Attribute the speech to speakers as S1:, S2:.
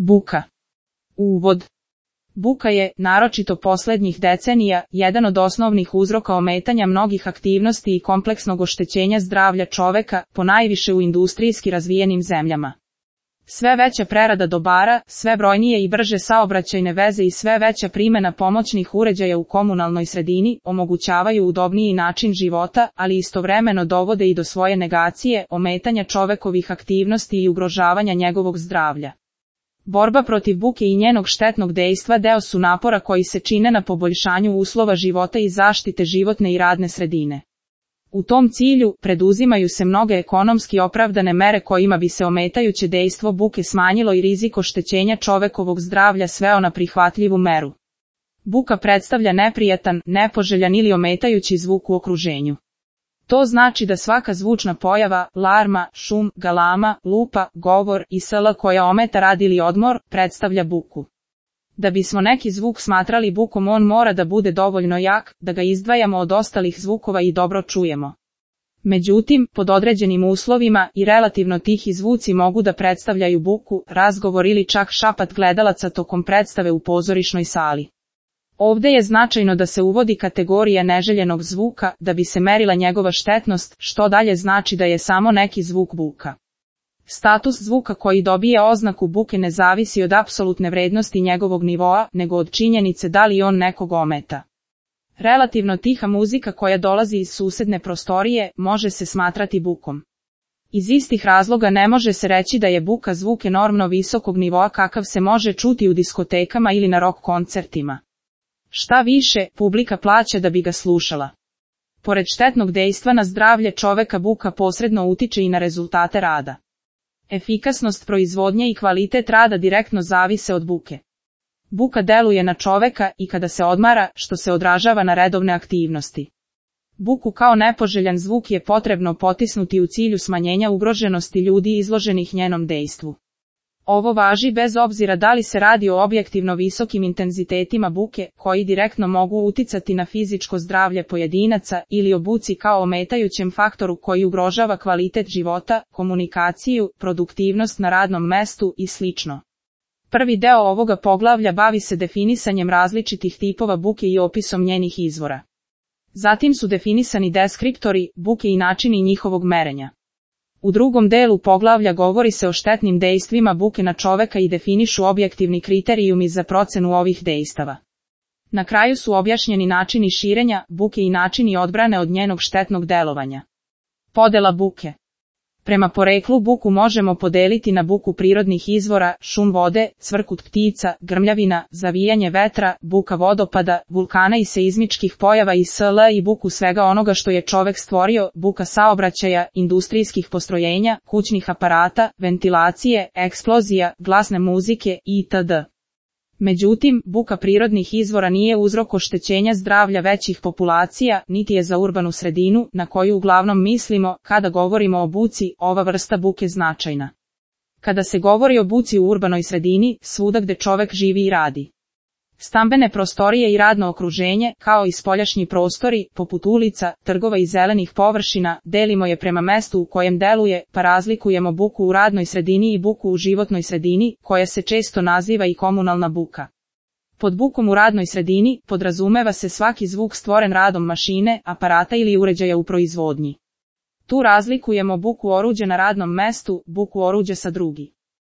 S1: Buka. Uvod. Buka je, naročito poslednjih decenija, jedan od osnovnih uzroka ometanja mnogih aktivnosti i kompleksnog oštećenja zdravlja čoveka, ponajviše u industrijski razvijenim zemljama. Sve veća prerada dobara, sve brojnije i brže saobraćajne veze i sve veća primjena pomoćnih uređaja u komunalnoj sredini omogućavaju udobniji način života, ali istovremeno dovode i do svoje negacije, ometanja čovekovih aktivnosti i ugrožavanja njegovog zdravlja. Borba protiv buke i njenog štetnog dejstva deo su napora koji se čine na poboljšanju uslova života i zaštite životne i radne sredine. U tom cilju, preduzimaju se mnoge ekonomski opravdane mere kojima bi se ometajuće dejstvo buke smanjilo i rizik oštećenja čovekovog zdravlja sveo na prihvatljivu meru. Buka predstavlja neprijatan, nepoželjan ili ometajući zvuk u okruženju. To znači da svaka zvučna pojava, larma, šum, galama, lupa, govor i sl. Koja ometa rad ili odmor, predstavlja buku. Da bismo neki zvuk smatrali bukom, on mora da bude dovoljno jak, da ga izdvajamo od ostalih zvukova i dobro čujemo. Međutim, pod određenim uslovima i relativno tihi zvuci mogu da predstavljaju buku, razgovor ili čak šapat gledalaca tokom predstave u pozorišnoj sali. Ovde je značajno da se uvodi kategorija neželjenog zvuka, da bi se merila njegova štetnost, što dalje znači da je samo neki zvuk buka. Status zvuka koji dobije oznaku buke ne zavisi od apsolutne vrednosti njegovog nivoa, nego od činjenice da li on nekog ometa. Relativno tiha muzika koja dolazi iz susedne prostorije može se smatrati bukom. Iz istih razloga ne može se reći da je buka zvuk enormno visokog nivoa kakav se može čuti u diskotekama ili na rock koncertima. Šta više, publika plaća da bi ga slušala. Pored štetnog dejstva na zdravlje čoveka, buka posredno utiče i na rezultate rada. Efikasnost proizvodnje i kvalitet rada direktno zavise od buke. Buka deluje na čoveka i kada se odmara, što se odražava na redovne aktivnosti. Buku kao nepoželjan zvuk je potrebno potisnuti u cilju smanjenja ugroženosti ljudi izloženih njenom dejstvu. Ovo važi bez obzira da li se radi o objektivno visokim intenzitetima buke, koji direktno mogu uticati na fizičko zdravlje pojedinaca, ili o buci kao ometajućem faktoru koji ugrožava kvalitet života, komunikaciju, produktivnost na radnom mestu i sl. Prvi deo ovoga poglavlja bavi se definisanjem različitih tipova buke i opisom njenih izvora. Zatim su definisani deskriptori buke i načini njihovog merenja. U drugom delu poglavlja govori se o štetnim dejstvima buke na čoveka i definišu objektivni kriterijumi za procenu ovih dejstava. Na kraju su objašnjeni načini širenja buke i načini odbrane od njenog štetnog delovanja. Podela buke. Prema poreklu buku možemo podeliti na buku prirodnih izvora, šum vode, cvrkut ptica, grmljavina, zavijanje vetra, buka vodopada, vulkana i seizmičkih pojava i sl. I buku svega onoga što je čovek stvorio, buka saobraćaja, industrijskih postrojenja, kućnih aparata, ventilacije, eksplozija, glasne muzike itd. Međutim, buka prirodnih izvora nije uzrok oštećenja zdravlja većih populacija, niti je za urbanu sredinu, na koju uglavnom mislimo, kada govorimo o buci, ova vrsta buke značajna. Kada se govori o buci u urbanoj sredini, svuda gde čovek živi i radi. Stambene prostorije i radno okruženje, kao i spoljašnji prostori, poput ulica, trgova i zelenih površina, delimo je prema mestu u kojem deluje, pa razlikujemo buku u radnoj sredini i buku u životnoj sredini, koja se često naziva i komunalna buka. Pod bukom u radnoj sredini podrazumeva se svaki zvuk stvoren radom mašine, aparata ili uređaja u proizvodnji. Tu razlikujemo buku oruđa na radnom mestu, buku oruđa sa drugi.